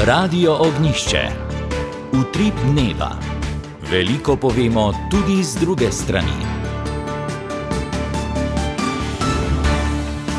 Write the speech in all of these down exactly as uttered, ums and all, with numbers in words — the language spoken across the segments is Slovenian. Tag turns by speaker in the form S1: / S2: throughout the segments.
S1: Radio Ognjišče. Utrip dneva. Veliko povemo tudi z druge strani.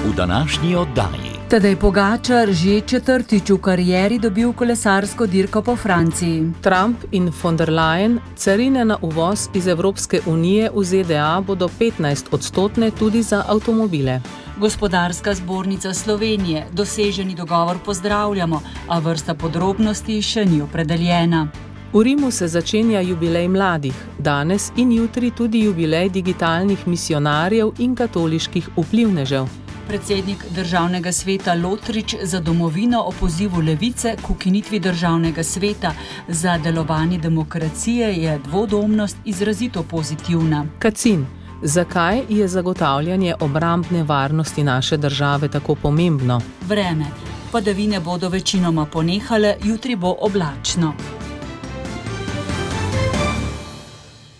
S1: V današnji oddaji.
S2: Tadej Pogačar že četrtič v karieri dobil kolesarsko dirko po Franciji.
S3: Trump in von der Leyen, carine na uvoz iz Evropske unije v Z D A bodo petnajst odstotne tudi za avtomobile.
S2: Gospodarska zbornica Slovenije, doseženi dogovor pozdravljamo, a vrsta podrobnosti še ni opredeljena.
S3: V Rimu se začenja jubilej mladih, danes in jutri tudi jubilej digitalnih misionarjev in katoliških vplivnežev.
S2: Predsednik državnega sveta Lotrič za domovino o pozivu Levice k ukinitvi državnega sveta za delovanje demokracije je dvodomnost izrazito pozitivna.
S3: Kacin, zakaj je zagotavljanje obrambne varnosti naše države tako pomembno?
S2: Vreme. Padavine bodo večinoma ponehale, jutri bo oblačno.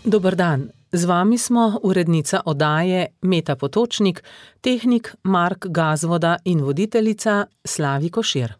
S3: Dober dan. Z vami smo urednica oddaje Meta Potočnik, tehnik Mark Gazvoda in voditeljica Slavi Košir.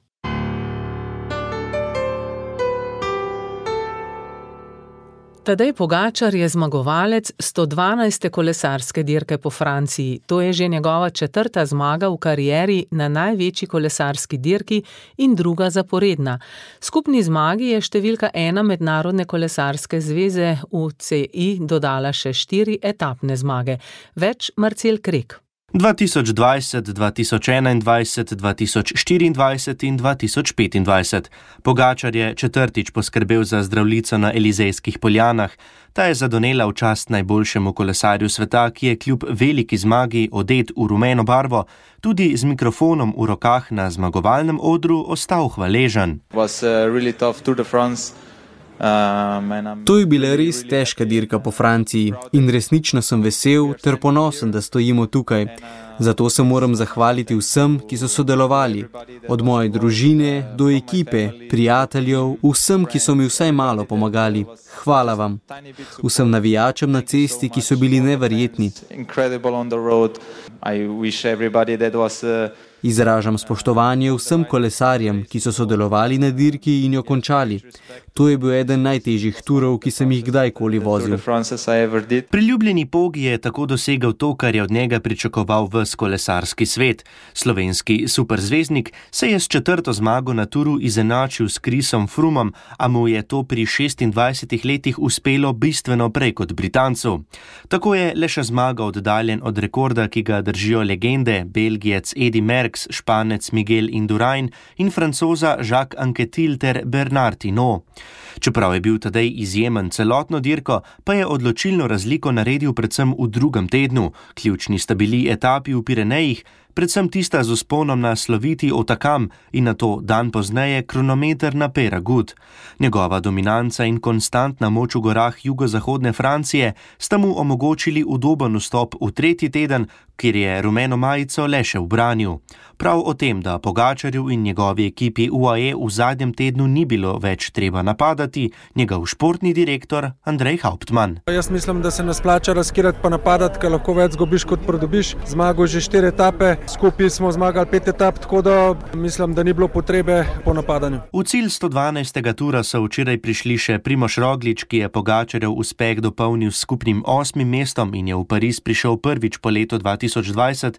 S3: Tadej Pogačar je zmagovalec sto dvanajste kolesarske dirke po Franciji. To je že njegova četrta zmaga v karieri na največji kolesarski dirki in druga zaporedna. Skupni zmagi je številka ena Mednarodne kolesarske zveze U C I dodala še štiri etapne zmage. Več Marcel Krek.
S4: dva tisoč dvajset, dva tisoč enaindvajset, dva tisoč štiriindvajset in dva tisoč petindvajset. Pogačar je četrtič poskrbel za Zdravljico na Elizejskih poljanah. Ta je zadonela v čast najboljšemu kolesarju sveta, ki je kljub veliki zmagi odet v rumeno barvo, tudi z mikrofonom v rokah na zmagovalnem odru ostal hvaležen.
S5: Was a really tough Tour de France.
S6: To je bila res težka dirka po Franciji in resnično sem vesel ter ponosen, da stojimo tukaj. Zato se moram zahvaliti vsem, ki so sodelovali, od moje družine do ekipe, prijateljev, vsem, ki so mi vsaj malo pomagali. Hvala vam. Vsem navijačem na cesti, ki so bili neverjetni. Izražam spoštovanje vsem kolesarjem, ki so sodelovali na dirki in jo končali. To je bil eden najtežjih turov, ki sem jih kdajkoli vozil.
S4: Priljubljeni Pogi je tako dosegel to, kar je od njega pričakoval ves kolesarski svet. Slovenski superzvezdnik se je s četrto zmago na turu izenačil s Chrisom Froomom, a mu je to pri šestindvajsetih letih uspelo bistveno prej kot Britancu. Tako je le še zmaga oddaljen od rekorda, ki ga držijo legende, Belgijec Eddy Merckx, Španec Miguel Indurain in Francoza Jacques Anquetil ter Bernard Hinault. Čeprav je bil Tadej izjemen celotno dirko, pa je odločilno razliko naredil predvsem v drugem tednu. Ključni sta bili etapi v Pirenejih, predvsem tista z vzponom na sloviti Otakam in nato dan pozneje kronometer na Peyragudes. Njegova dominanca in konstantna moč v gorah jugozahodne Francije sta mu omogočili udoben vstop v tretji teden, kjer je rumeno majico le še ubranil. Prav o tem, da Pogačarju in njegovi ekipi U A E v zadnjem tednu ni bilo več treba napadati, njegov športni direktor Andrej Hauptmann.
S7: Jaz mislim, da se nas plača razkirati pa napadati, ker lahko več zgubiš kot pridobiš. Zmagal že štiri etape, skupaj smo zmagali pet etap, tako da mislim, da ni bilo potrebe po napadanju.
S4: V cilj sto dvanajstega tura so včeraj prišli še Primož Roglič, ki je Pogačarjev uspeh dopolnil s skupnim osmim mestom in je v Pariz prišel prvič po letu dva tisoč dvajset,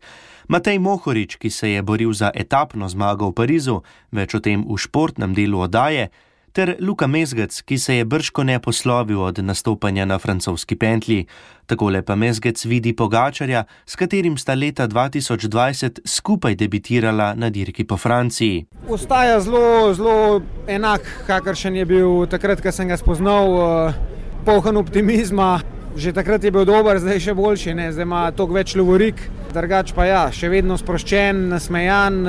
S4: Matej Mohorič, ki se je boril za etapno zmago v Parizu, več o tem v športnem delu oddaje, ter Luka Mezgec, ki se je bržkone poslovil od nastopanja na francoski pentlji. Takole pa Mezgec vidi Pogačarja, s katerim sta leta dva tisoč dvajset skupaj debitirala na dirki po Franciji.
S7: Ostaja zelo, zelo enak, kakršen je bil takrat, ko sem ga spoznal, poln optimizma. Že takrat je bil dober, zdaj še boljši, ne? Zdaj ima toliko več lovorik, drugač pa ja, še vedno sproščen, nasmejan,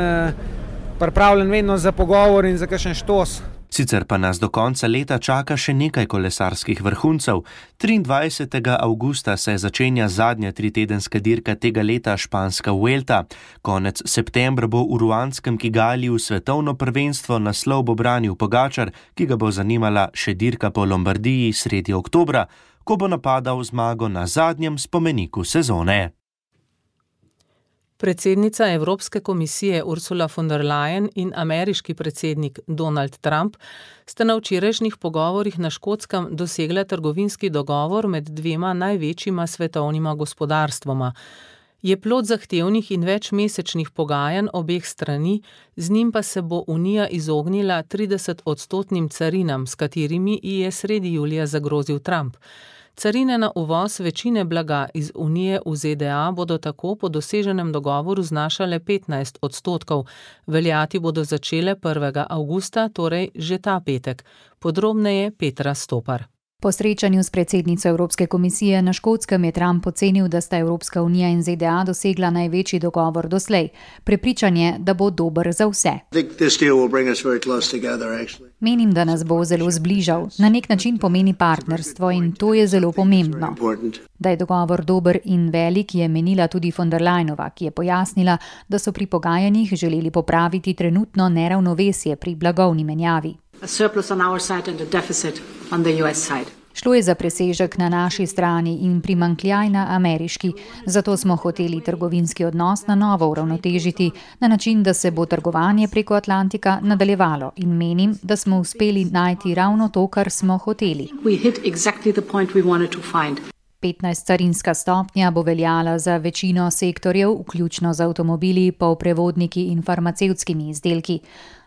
S7: pripravljen vedno za pogovor in za kakšen štos.
S4: Sicer pa nas do konca leta čaka še nekaj kolesarskih vrhuncev. triindvajsetega avgusta se začenja zadnja tritedenska dirka tega leta, španska Vuelta. Konec septembra bo v ruandskem Kigaliju svetovno prvenstvo, naslov bo branil Pogačar, ki ga bo zanimala še dirka po Lombardiji sredi oktobra, ko bo napadal zmago na zadnjem spomeniku sezone.
S3: Predsednica Evropske komisije Ursula von der Leyen in ameriški predsednik Donald Trump sta na včerajšnjih pogovorih na Škotskem dosegla trgovinski dogovor med dvema največjima svetovnima gospodarstvoma. Je plod zahtevnih in večmesečnih pogajanj obeh strani, z njim pa se bo Unija izognila trideset odstotnim carinam, s katerimi ji je sredi julija zagrozil Trump. Carine na uvoz večine blaga iz Unije v Z D A bodo tako po doseženem dogovoru znašale petnajst odstotkov, veljati bodo začele prvega avgusta, torej že ta petek. Podrobneje Petra Stopar.
S8: Po srečanju s predsednico Evropske komisije na Škotskem je Trump ocenil, da sta Evropska unija in Z D A dosegla največji dogovor doslej. Prepričan je, da bo dober za vse. Menim, da nas bo zelo zbližal. Na nek način pomeni partnerstvo in to je zelo pomembno. Da je dogovor dober in velik, je menila tudi von der Leyenova, ki je pojasnila, da so pri pogajanjih želeli popraviti trenutno neravnovesje pri blagovni menjavi.
S9: A surplus on our side and a deficit on the U S side.
S8: Šlo je za presežek na naši strani in primanjkljaj na ameriški, zato smo hoteli trgovinski odnos na novo uravnotežiti na način, da se bo trgovanje preko Atlantika nadaljevalo in menim, da smo uspeli najti ravno to, kar smo hoteli.
S9: We hit exactly the point we wanted to find.
S8: petnajst carinska stopnja bo veljala za večino sektorjev, vključno z avtomobili, polprevodniki in farmacevtskimi izdelki.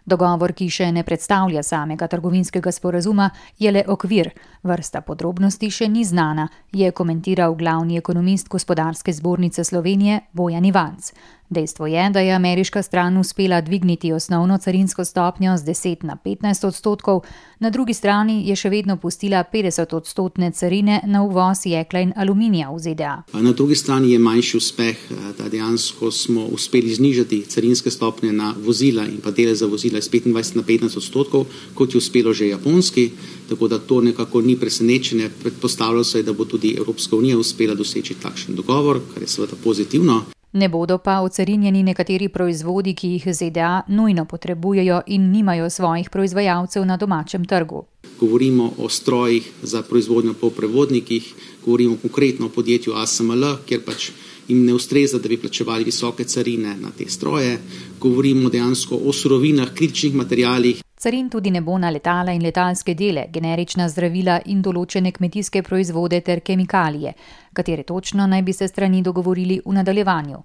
S8: Dogovor, ki še ne predstavlja samega trgovinskega sporazuma, je le okvir. Vrsta podrobnosti še ni znana, je komentiral glavni ekonomist Gospodarske zbornice Slovenije Bojan Ivanc. Dejstvo je, da je ameriška stran uspela dvigniti osnovno carinsko stopnjo z deset na petnajst odstotkov, na drugi strani je še vedno pustila petdeset odstotne carine na uvoz jekla in aluminija v Z D A.
S10: Na drugi strani je manjši uspeh, da dejansko smo uspeli znižati carinske stopnje na vozila in pa dele za vozila iz petindvajset na petnajst odstotkov, kot je uspelo že Japonski, tako da to nekako ni presenečenje. Predpostavljalo se je, da bo tudi Evropska unija uspela doseči takšen dogovor, kar je seveda pozitivno.
S8: Ne bodo pa ocarinjeni nekateri proizvodi, ki jih Z D A nujno potrebujejo in nimajo svojih proizvajalcev na domačem trgu.
S10: Govorimo o strojih za proizvodnjo po prevodnikih, govorimo konkretno o podjetju A S M L, kjer pač jim ne ustreza, da bi plačevali visoke carine na te stroje. Govorimo dejansko o surovinah, kritičnih materialih.
S8: Carin tudi ne bo na letala in letalske dele, generična zdravila in določene kmetijske proizvode ter kemikalije, katere točno naj bi se strani dogovorili v nadaljevanju.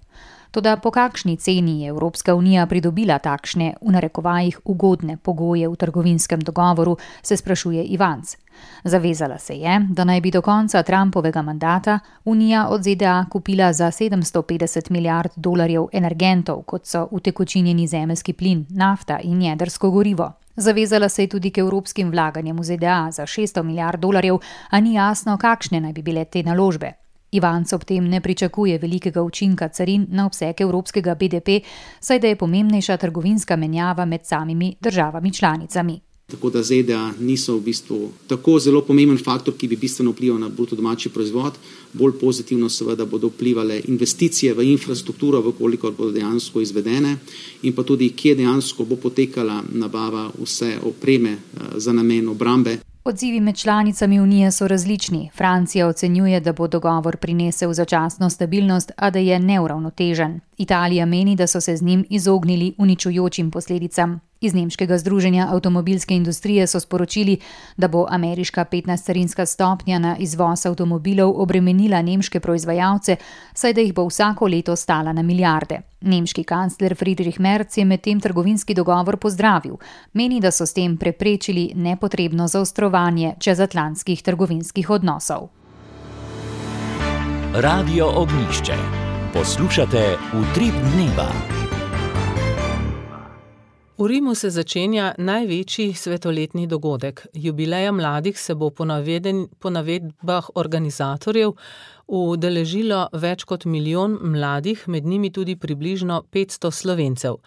S8: Toda po kakšni ceni je Evropska unija pridobila takšne, v narekovajih, ugodne pogoje v trgovinskem dogovoru, se sprašuje Ivanc. Zavezala se je, da naj bi do konca Trumpovega mandata Unija od Z D A kupila za sedemsto petdeset milijard dolarjev energentov, kot so utekočinjeni zemeljski plin, nafta in jedrsko gorivo. Zavezala se je tudi k evropskim vlaganjem v Z D A za šeststo milijard dolarjev, a ni jasno, kakšne naj bi bile te naložbe. Ivanc ob tem ne pričakuje velikega učinka carin na obseg evropskega B D P, saj da je pomembnejša trgovinska menjava med samimi državami članicami.
S10: Tako da Z D A niso v bistvu tako zelo pomemben faktor, ki bi bistveno vplival na bruto domači proizvod. Bolj pozitivno seveda bodo vplivale investicije v infrastrukturo, vkolikor bodo dejansko izvedene, in pa tudi, kje dejansko bo potekala nabava vse opreme za namen obrambe.
S8: Odzivi med članicami Unije so različni. Francija ocenjuje, da bo dogovor prinesel začasno stabilnost, a da je neuravnotežen. Italija meni, da so se z njim izognili uničujočim posledicam. Iz nemškega združenja avtomobilske industrije so sporočili, da bo ameriška petnajst carinska stopnja na izvoz avtomobilov obremenila nemške proizvajalce, saj da jih bo vsako leto stala na milijarde. Nemški kancler Friedrich Merz je medtem trgovinski dogovor pozdravil. Meni, da so s tem preprečili nepotrebno zaostrovanje čezatlantskih trgovinskih odnosov.
S1: Radio Ognjišče. Poslušate Utrip dneva.
S3: V Rimu se začenja največji svetoletni dogodek. Jubileja mladih se bo po, naveden, po navedbah organizatorjev udeležilo več kot milijon mladih, med njimi tudi približno petsto Slovencev.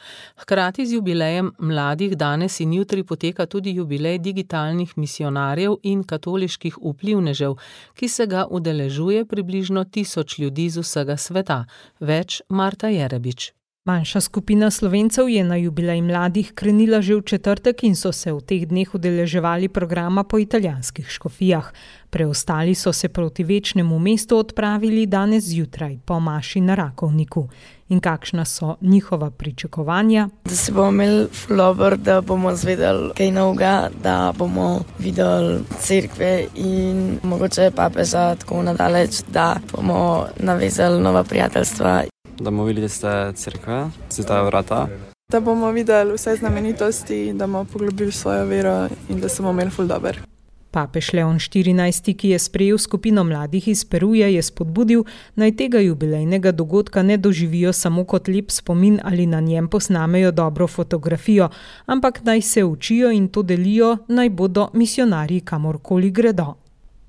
S3: Hkrati z jubilejem mladih danes in jutri poteka tudi jubilej digitalnih misionarjev in katoliških vplivnežev, ki se ga udeležuje približno tisoč ljudi z vsega sveta. Več Marta Jerebič.
S11: Manjša skupina Slovencev je na jubilej mladih krenila že v četrtek in so se v teh dneh udeleževali programa po italijanskih škofijah. Preostali so se proti večnemu mestu odpravili danes zjutraj po maši na Rakovniku. in kakšna so njihova pričakovanja.
S12: Da se bomo imeli flober, da bomo zvedeli kaj novega, da bomo videli cerkve in mogoče papeža tako nadaleč, da bomo navezali nova prijateljstva.
S13: Da bomo videli ste cerkve, sveta vrata.
S14: Da bomo videli vse znamenitosti, da bomo poglobili svojo vero in da se bomo imeli ful dober.
S11: Papež Leon štirinajsti, ki je sprejel skupino mladih iz Peruja, je spodbudil, naj tega jubilejnega dogodka ne doživijo samo kot lep spomin ali na njem posnamejo dobro fotografijo, ampak naj se učijo in to delijo, naj bodo misionarji kamorkoli gredo.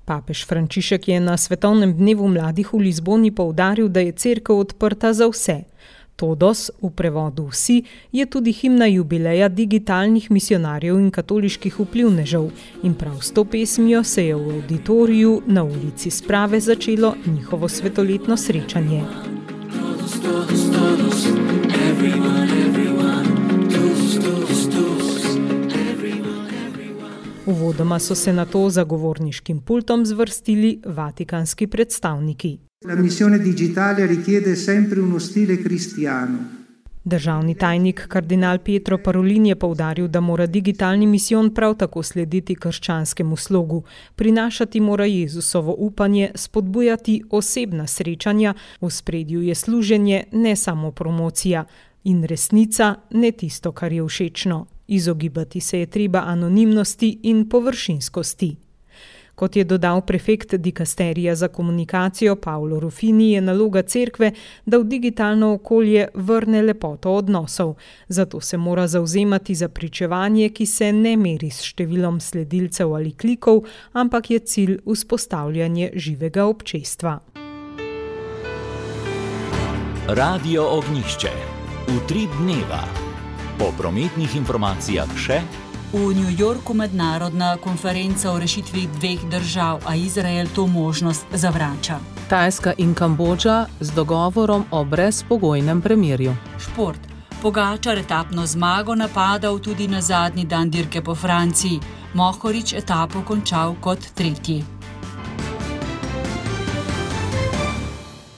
S11: Papež Frančišek je na Svetovnem dnevu mladih v Lizboni poudaril, da je cerkev odprta za vse. Todos, v prevodu vsi, je tudi himna jubileja digitalnih misionarjev in katoliških vplivnežev in prav s to pesmijo se je v auditoriju na ulici Sprave začelo njihovo svetoletno srečanje. Todos, todos, todos, everyone, everyone, todos, todos, todos, everyone, everyone. Uvodoma so se na to za govorniškim pultom zvrstili vatikanski predstavniki.
S15: La missione digitale richiede sempre uno stile cristiano.
S11: Državni tajnik kardinal Pietro Parolin je poudaril, da mora digitalni misijon prav tako slediti krščanskemu slogu. Prinašati mora Jezusovo upanje, spodbujati osebna srečanja, v ospredju je služenje, ne samo promocija. In resnica, ne tisto, kar je všečno. Izogibati se je treba anonimnosti in površinskosti. Kot je dodal prefekt dikasterija za komunikacijo Paolo Ruffini, je naloga cerkve, da v digitalno okolje vrne lepoto odnosov. Zato se mora zavzemati za pričevanje, ki se ne meri s številom sledilcev ali klikov, ampak je cilj vzpostavljanje živega občestva.
S1: Radio Ognjišče. Utrip dneva. Po prometnih informacijah še.
S2: V New Yorku mednarodna konferenca o rešitvi dveh držav, a Izrael to možnost zavrača.
S3: Tajska in Kambodža z dogovorom o brezpogojnem premirju.
S2: Šport. Pogačar etapno zmago napadal tudi na zadnji dan dirke po Franciji. Mohorič etapo končal kot tretji.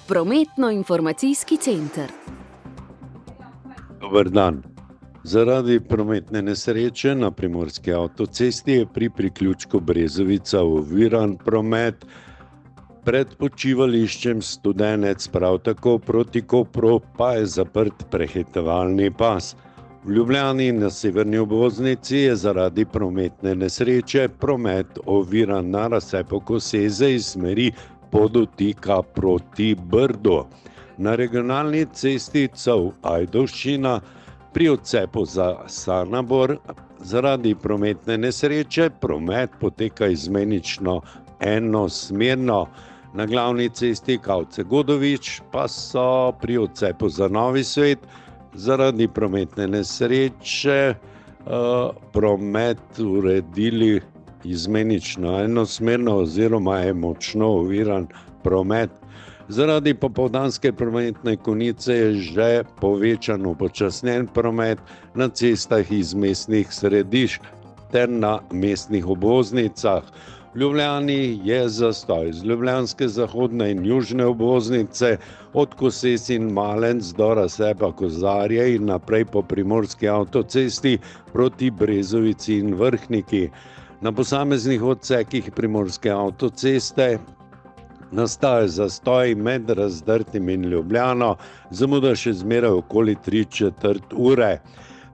S16: Prometno-informacijski center.
S17: Dober dan. Zaradi prometne nesreče na primorski avtocesti je pri priključku Brezovica oviran promet. Pred počivališčem Studenec, prav tako proti Kopru, pa je zaprt prehitevalni pas. V Ljubljani na severni obvoznici je zaradi prometne nesreče promet oviran na razcepu Koseze iz smeri Podotika proti Brdu. Na regionalni cesti Cov-Ajdovščina pri odcepu za Sanabor zaradi prometne nesreče promet poteka izmenično enosmerno. Na glavni cesti Kavce-Godovič pa so pri odcepu za Novi Svet zaradi prometne nesreče uh, promet uredili izmenično enosmerno oziroma je močno oviran promet. Zaradi popoldanske prometne konice je že povečan upočasnjen promet na cestah iz mestnih središč ter na mestnih obvoznicah. V Ljubljani je zastoj z ljubljanske zahodne in južne obvoznice od Koses in Malenc do razcepa Kozarje in naprej po primorski avtocesti proti Brezovici in Vrhniki. Na posameznih odsekih primorske avtoceste nastaja zastoj med Razdrtim in Ljubljano, zamuda še zmeraj okoli tri četrt ure.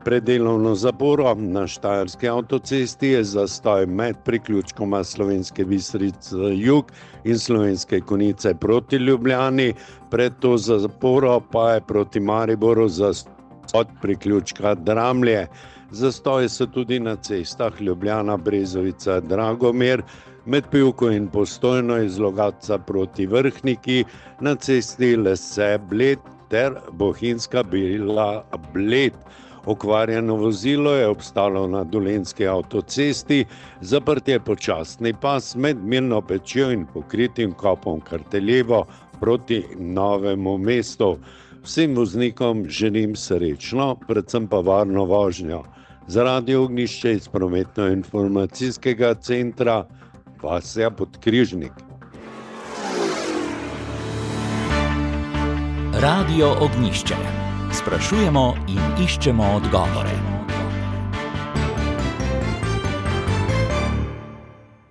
S17: Pred delovno zaporo na Štajerski avtocesti je zastoj med priključkoma Slovenske Bistrice jug in Slovenske Konjice proti Ljubljani, pred to zaporo pa je proti Mariboru zastoj od priključka Dramlje. Zastoji so tudi na cestah Ljubljana, Brezovica, Dragomir, med Pivko in Postojno iz Logatca proti Vrhniki, na cesti Lese Bled ter Bohinjska Bila Bled. Okvarjeno vozilo je obstalo na Dolenjski avtocesti, zaprt je počasni pas med Mirno Pečjo in pokritim kopom Karteljevo proti Novemu mestu. Vsem voznikom želim srečno, predvsem pa varno vožnjo. Za Radio Ognjišče iz prometno-informacijskega centra Vasja Podkrižnik.
S1: Radio Ognjišče. Sprašujemo in iščemo odgovore.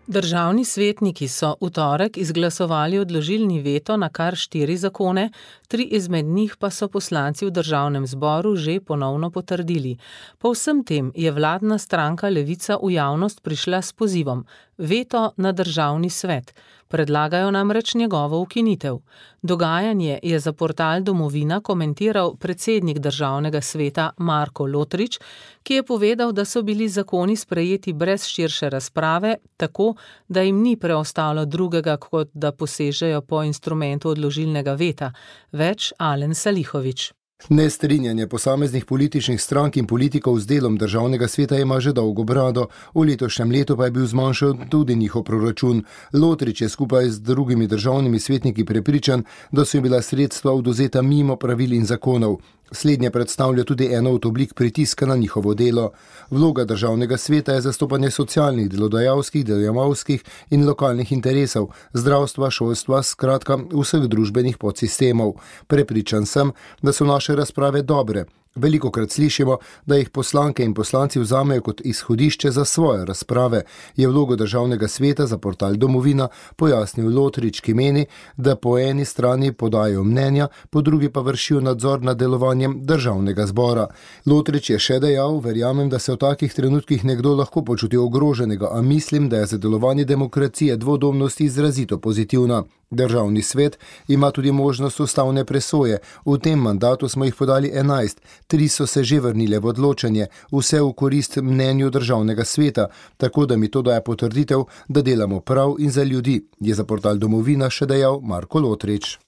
S3: Državni svetniki so v torek izglasovali odložilni veto na kar štiri zakone, tri izmed njih pa so poslanci v državnem zboru že ponovno potrdili. Po vsem tem je vladna stranka Levica v javnost prišla s pozivom: veto na državni svet. Predlagajo namreč njegovo ukinitev. Dogajanje je za portal Domovina komentiral predsednik državnega sveta Marko Lotrič, ki je povedal, da so bili zakoni sprejeti brez širše razprave, tako da jim ni preostalo drugega, kot da posežejo po instrumentu odložilnega veta. Več Alen Salihovič.
S18: Nestrinjanje posameznih političnih strank in politikov z delom državnega sveta ima že dolgo brado, v letošnjem letu pa je bil zmanjšan tudi njihov proračun. Lotrič je skupaj z drugimi državnimi svetniki prepričan, da so jim bila sredstva odvzeta mimo pravil in zakonov. Slednje predstavlja tudi eno od oblik pritiska na njihovo delo. Vloga državnega sveta je zastopanje socialnih, delodajalskih, delojemalskih in lokalnih interesov, zdravstva, šolstva, skratka vseh družbenih podsistemov. Prepričan sem, da so naše razprave dobre. Velikokrat slišimo, da jih poslanke in poslanci vzamejo kot izhodišče za svoje razprave, je vlogo državnega sveta za portal Domovina pojasnil Lotrič, ki meni, da po eni strani podajo mnenja, po drugi pa vršijo nadzor nad delovanjem državnega zbora. Lotrič je še dejal: verjamem, da se v takih trenutkih nekdo lahko počuti ogroženega, a mislim, da je za delovanje demokracije dvodomnosti izrazito pozitivna. Državni svet ima tudi možnost ustavne presoje. V tem mandatu smo jih podali enajst, tri so se že vrnile v odločanje, vse v korist mnenju državnega sveta, tako da mi to daje potrditev, da delamo prav in za ljudi, je za portal Domovina še dejal Marko Lotrič.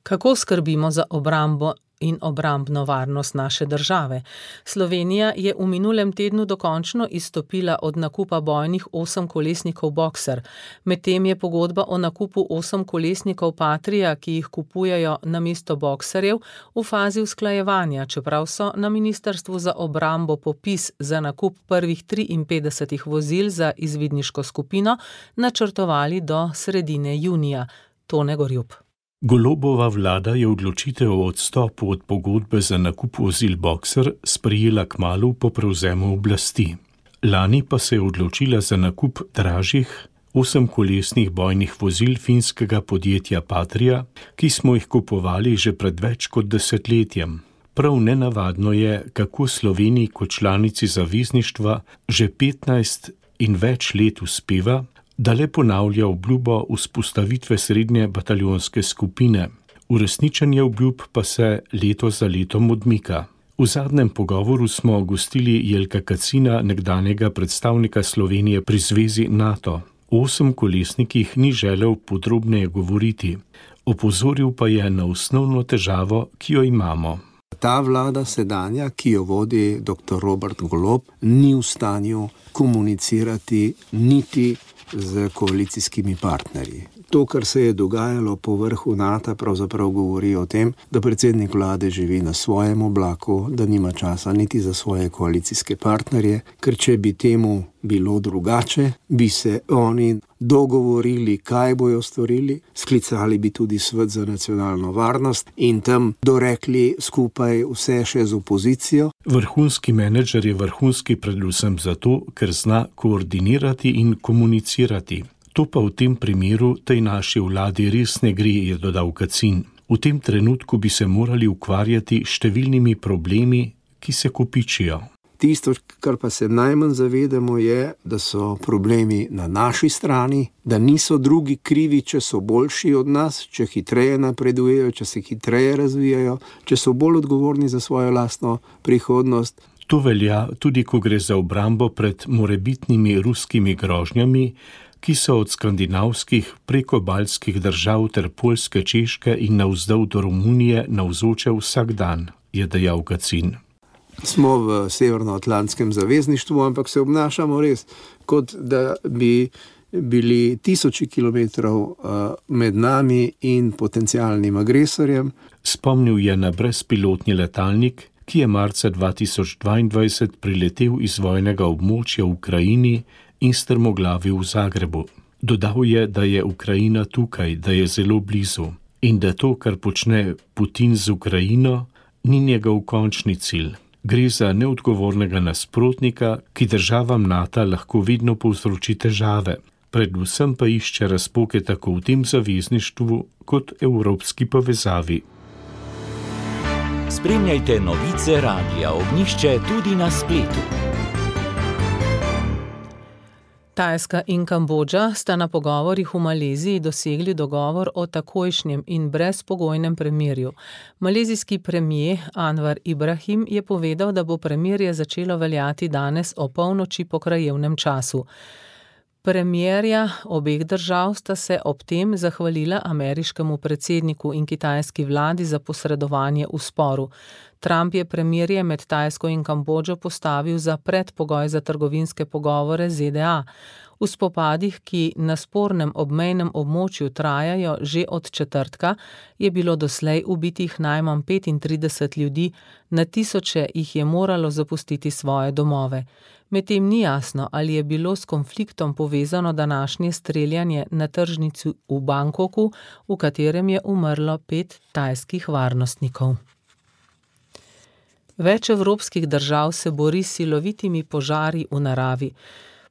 S3: Kako skrbimo za obrambo in obrambno varnost naše države? Slovenija je v minulem tednu dokončno izstopila od nakupa bojnih osemkolesnikov Boxer. Medtem je pogodba o nakupu osemkolesnikov Patria, ki jih kupujejo namesto Boxerjev, v fazi usklajevanja, čeprav so na Ministrstvu za obrambo popis za nakup prvih triinpetdesetih vozil za izvidniško skupino načrtovali do sredine junija. Tone Gorjup.
S19: Golobova vlada je odločitev o odstopu od pogodbe za nakup vozil Boxer sprejela kmalu po prevzemu oblasti. Lani pa se je odločila za nakup dražjih osemkolesnih bojnih vozil finskega podjetja Patria, ki smo jih kupovali že pred več kot desetletjem. Prav nenavadno je, kako Sloveniji kot članici zavezništva že petnajst in več let uspeva, da le ponavlja obljubo vzpostavitve srednje bataljonske skupine. Uresničenje obljub pa se leto za letom odmika. V zadnjem pogovoru smo gostili Jelka Kacina, nekdanjega predstavnika Slovenije pri zvezi NATO. O osemkolesnikih ni želel podrobneje govoriti. Opozoril pa je na osnovno težavo, ki jo imamo.
S20: Ta vlada sedanja, ki jo vodi doktor Robert Golob, ni v stanju komunicirati niti z koalicijskimi partnerji. To, kar se je dogajalo po vrhu NATO, pravzaprav govori o tem, da predsednik vlade živi na svojem oblaku, da nima časa niti za svoje koalicijske partnerje, ker če bi temu bilo drugače, bi se oni dogovorili, kaj bojo storili, sklicali bi tudi svet za nacionalno varnost in tam dorekli skupaj vse še z opozicijo.
S19: Vrhunski menedžer je vrhunski predvsem zato, ker zna koordinirati in komunicirati. To pa v tem primeru tej naši vladi res ne gre, je dodal Kacin. V tem trenutku bi se morali ukvarjati številnimi problemi, ki se kopičijo.
S20: Tisto, kar pa se najmanj zavedamo, je, da so problemi na naši strani, da niso drugi krivi, če so boljši od nas, če hitreje napredujejo, če se hitreje razvijajo, če so bolj odgovorni za svojo lastno prihodnost.
S19: To velja tudi, ko gre za obrambo pred morebitnimi ruskimi grožnjami, ki so od skandinavskih preko baltskih držav ter Poljske, Češke in navzdol do Romunije navzoče vsak dan, je dejal Kacin.
S20: Smo v Severnoatlantskem zavezništvu, ampak se obnašamo res, kot da bi bili tisoči kilometrov med nami in potencialnim agresorjem.
S19: Spomnil je na brezpilotni letalnik, ki je marca dva tisoč dvaindvajset priletel iz vojnega območja v Ukrajini in strmoglavil v Zagrebu. Dodal je, da je Ukrajina tukaj, da je zelo blizu. in da to, kar počne Putin z Ukrajino, ni njegov končni cilj. Gre za neodgovornega nasprotnika, ki državam NATO lahko vedno povzroči težave. Predvsem pa išče razpoke tako v tem zavezništvu kot evropski povezavi.
S1: Spremljajte novice Radia Ognjišče tudi na spletu.
S3: Tajska in Kambodža sta na pogovorih v Maleziji dosegli dogovor o takojšnjem in brezpogojnem premirju. Malezijski premijer Anwar Ibrahim je povedal, da bo premirje začelo veljati danes o polnoči po krajevnem času. Premierja obeh držav sta se ob tem zahvalila ameriškemu predsedniku in kitajski vladi za posredovanje v sporu. Trump je premirje med Tajsko in Kambodžo postavil za predpogoj za trgovinske pogovore z Z D A. V spopadih, ki na spornem obmejnem območju trajajo že od četrtka, je bilo doslej ubitih najmanj petintrideset ljudi, na tisoče jih je moralo zapustiti svoje domove. Medtem ni jasno, ali je bilo s konfliktom povezano današnje streljanje na tržnici v Bangkoku, v katerem je umrlo pet tajskih varnostnikov. Več evropskih držav se bori s silovitimi požari v naravi.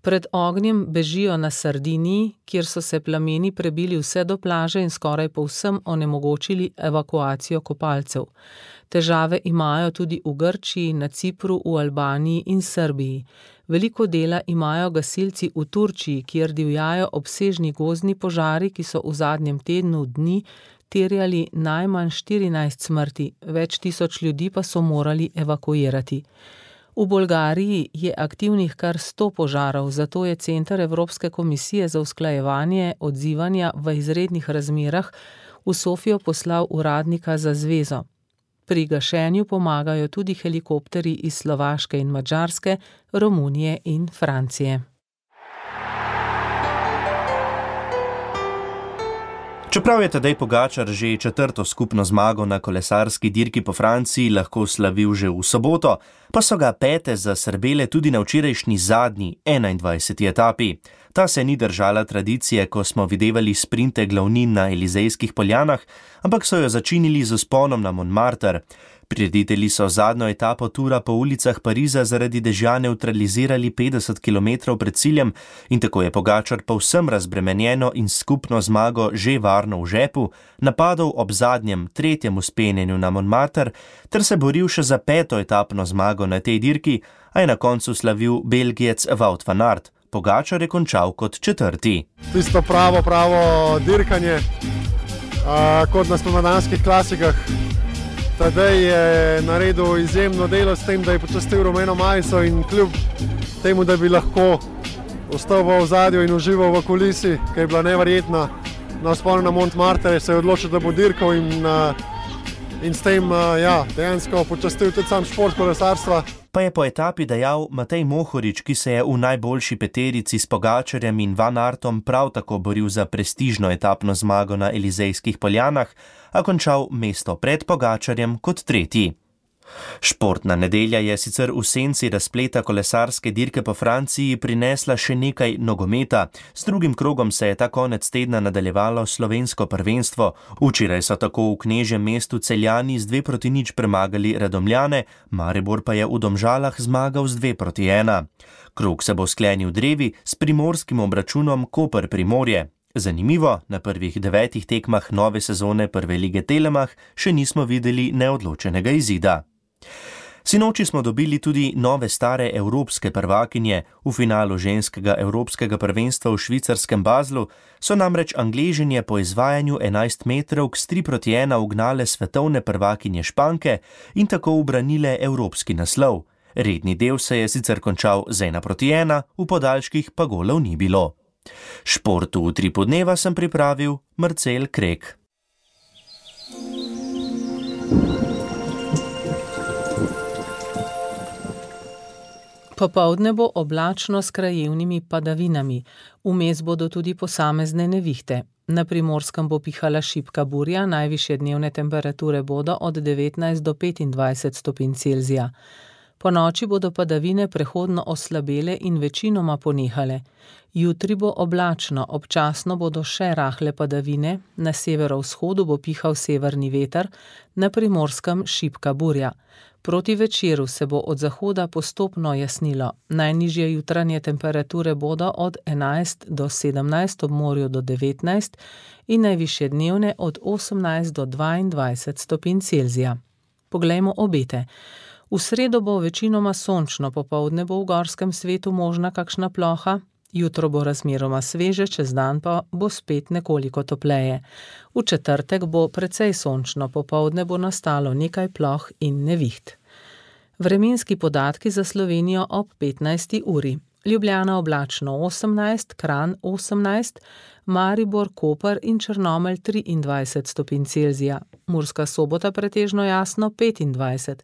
S3: Pred ognjem bežijo na Sardiniji, kjer so se plameni prebili vse do plaže in skoraj povsem onemogočili evakuacijo kopalcev. Težave imajo tudi v Grčiji, na Cipru, v Albaniji in Srbiji. Veliko dela imajo gasilci v Turčiji, kjer divjajo obsežni gozdni požari, ki so v zadnjem tednu dni terjali najmanj štirinajst smrti, več tisoč ljudi pa so morali evakuirati. V Bolgariji je aktivnih kar sto požarov, zato je Center Evropske komisije za usklajevanje odzivanja v izrednih razmerah v Sofijo poslal uradnika za zvezo. Pri gašenju pomagajo tudi helikopterji iz Slovaške in Madžarske, Romunije in Francije.
S4: Čeprav je Tadej Pogačar že četrto skupno zmago na kolesarski dirki po Franciji lahko slavil že v soboto, pa so ga pete zasrbele tudi na včerajšnji zadnji, enaindvajseti etapi. Ta se ni držala tradicije, ko smo videvali sprinte glavnin na Elizejskih poljanah, ampak so jo začinili z vzponom na Montmartre. Prireditelji so zadnjo etapo tura po ulicah Pariza zaradi dežja nevtralizirali petdeset kilometrov pred ciljem in tako je Pogačar povsem razbremenjeno in skupno zmago že varno v žepu napadal ob zadnjem, tretjem vzpenjenju na Montmartre ter se boril še za peto etapno zmago na tej dirki, a je na koncu slavil Belgijec Wout van Aert. Pogačar je končal kot četrti.
S21: Tisto pravo, pravo dirkanje, a, kot na spomladanskih klasikah. Tadej je naredil izjemno delo s tem, da je počastil rumeno majico in kljub temu, da bi lahko ostal v ozadju in užival v kulisi, ki je bila neverjetna na vzponu na Montmartre, se je odločil, da bo dirkal in, in s tem ja, dejansko počastil tudi sam šport kolesarstva.
S4: Pa je po etapi dejal Matej Mohorič, ki se je v najboljši peterici s Pogačarjem in Van Aertom prav tako boril za prestižno etapno zmago na Elizejskih poljanah, a končal mesto pred Pogačarjem kot tretji. Športna nedelja je sicer v senci razpleta kolesarske dirke po Franciji prinesla še nekaj nogometa. S drugim krogom se je ta konec tedna nadaljevalo slovensko prvenstvo. Včeraj so tako v knežjem mestu Celjani z dve proti nič premagali Radomljane, Maribor pa je v Domžalah zmagal z dve proti ena. Krog se bo sklenil drevi s primorskim obračunom Koper-Primorje. Zanimivo, na prvih devetih tekmah nove sezone Prve lige Telemach še nismo videli neodločenega izida. Sinoči smo dobili tudi nove stare evropske prvakinje. V finalu ženskega evropskega prvenstva v švicarskem Baslu so namreč Angležinje po izvajanju enajst metrovk s tri proti ena ugnale svetovne prvakinje Španke in tako ubranile evropski naslov. Redni del se je sicer končal z ena proti ena, v podaljških pa golov ni bilo. Športu v Tripu dneva sem pripravil Marcel Krek.
S3: Popoldne bo oblačno s krajevnimi padavinami, vmes bodo tudi posamezne nevihte. Na Primorskem bo pihala šibka burja, najvišje dnevne temperature bodo od devetnajst do petindvajset stopinj Celzija. Po noči bodo padavine prehodno oslabele in večinoma ponehale. Jutri bo oblačno, občasno bodo še rahle padavine, na severovzhodu bo pihal severni veter, na Primorskem šibka burja. Proti večeru se bo od zahoda postopno jasnilo. Najnižje jutranje temperature bodo od enajst do sedemnajst, ob morju do devetnajst in najvišje dnevne od osemnajst do dvaindvajset stopinj Celzija. Poglejmo obete. V sredo bo večinoma sončno, popoldne bo v gorskem svetu možna kakšna ploha, jutro bo razmeroma sveže, čez dan pa bo spet nekoliko topleje. V četrtek bo precej sončno, popoldne bo nastalo nekaj ploh in neviht. Vremenski podatki za Slovenijo ob petnajsti uri. Ljubljana oblačno osemnajst, Kranj osemnajst, Maribor, Koper in Črnomelj triindvajset stopinj Celzija, Murska Sobota pretežno jasno petindvajset,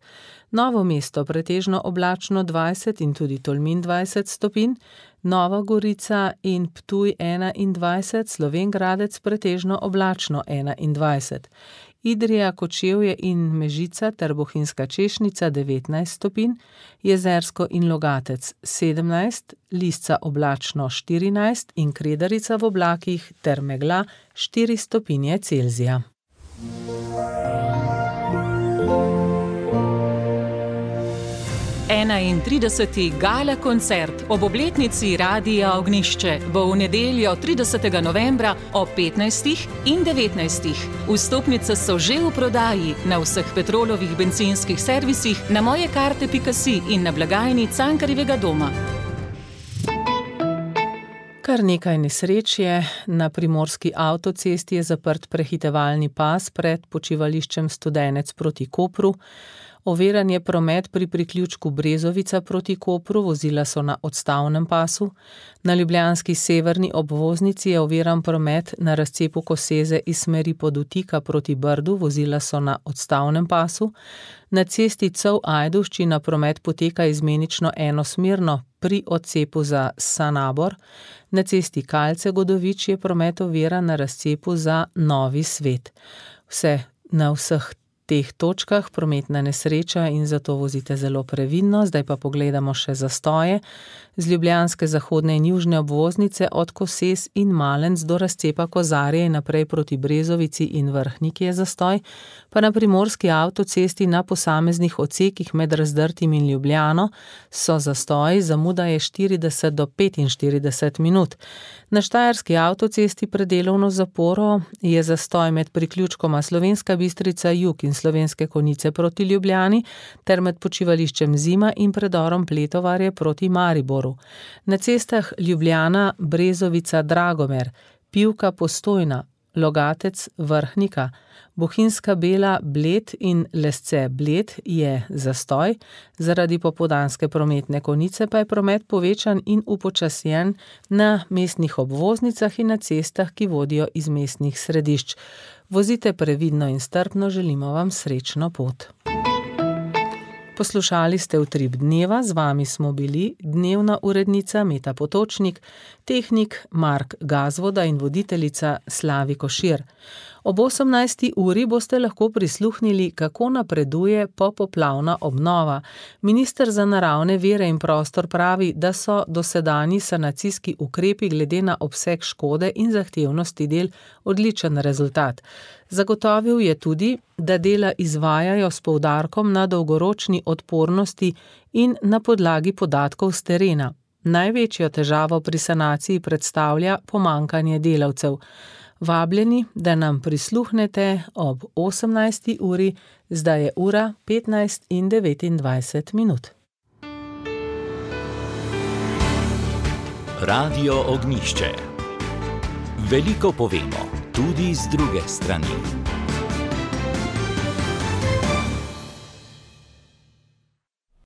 S3: Novo mesto pretežno oblačno dvajset in tudi Tolmin dvajset stopinj, Nova Gorica in Ptuj enaindvajset, Slovenj Gradec pretežno oblačno enaindvajset, Idrija, Kočevje in Mežica ter Bohinjska Češnica devetnajst stopinj, Jezersko in Logatec sedemnajst, Lisca oblačno štirinajst in Kredarica v oblakih ter megla štiri stopinje Celzija.
S2: enaintrideseti gala koncert ob obletnici Radia Ognjišče bo v nedeljo tridesetega novembra ob petnajstih in devetnajstih. Vstopnice so že v prodaji na vseh Petrolovih bencinskih servisih, na mojekarte pika si in na blagajni Cankarjevega doma.
S3: Kar nekaj nesreč je. Na primorski avtocesti je zaprt prehitevalni pas pred počivališčem Studenec proti Kopru. Oviran je promet pri priključku Brezovica proti Kopru, vozila so na odstavnem pasu. Na ljubljanski severni obvoznici je oviran promet na razcepu Koseze iz smeri Podutika proti Brdu, vozila so na odstavnem pasu. Na cesti Cov-Ajdovščina promet poteka izmenično enosmerno pri odcepu za Sanabor. Na cesti Kalce-Godovič je promet oviran na razcepu za Novi Svet. Vse na vseh teh točkah prometna nesreča in zato vozite zelo previdno. Zdaj pa pogledamo še zastoje. Z ljubljanske zahodne in južne obvoznice od Koses in Malenc do razcepa Kozarje in naprej proti Brezovici in Vrhniki je zastoj, pa na primorski avtocesti na posameznih odsekih med Razdrtim in Ljubljano so zastoji, zamuda je štirideset do petinštirideset minut. Na štajerski avtocesti pred delovno zaporo je zastoj med priključkoma Slovenska Bistrica jug in Slovenske Konjice proti Ljubljani ter med počivališčem Zima in predorom Pletovarje proti Mariboru. Na cestah Ljubljana, Brezovica, Dragomer, Pivka, Postojna, Logatec, Vrhnika, Bohinjska Bela, Bled in Lesce, Bled je zastoj, zaradi popoldanske prometne konice pa je promet povečan in upočasjen na mestnih obvoznicah in na cestah, ki vodijo iz mestnih središč. Vozite previdno in strpno, želimo vam srečno pot. Poslušali ste Utrip dneva, z vami smo bili dnevna urednica Meta Potočnik, tehnik Mark Gazvoda in voditeljica Slavi Košir. Ob osemnajsti uri boste lahko prisluhnili, kako napreduje popoplavna obnova. Minister za naravne vire in prostor pravi, da so dosedanji sanacijski ukrepi glede na obseg škode in zahtevnosti del odličen rezultat. Zagotovil je tudi, da dela izvajajo s poudarkom na dolgoročni odpornosti in na podlagi podatkov s terena. Največjo težavo pri sanaciji predstavlja pomanjkanje delavcev. Vabljeni, da nam prisluhnete ob osemnajsti uri, zdaj je ura petnajst in devetindvajset minut.
S1: Radio Ognjišče. Veliko povemo, tudi z druge strani.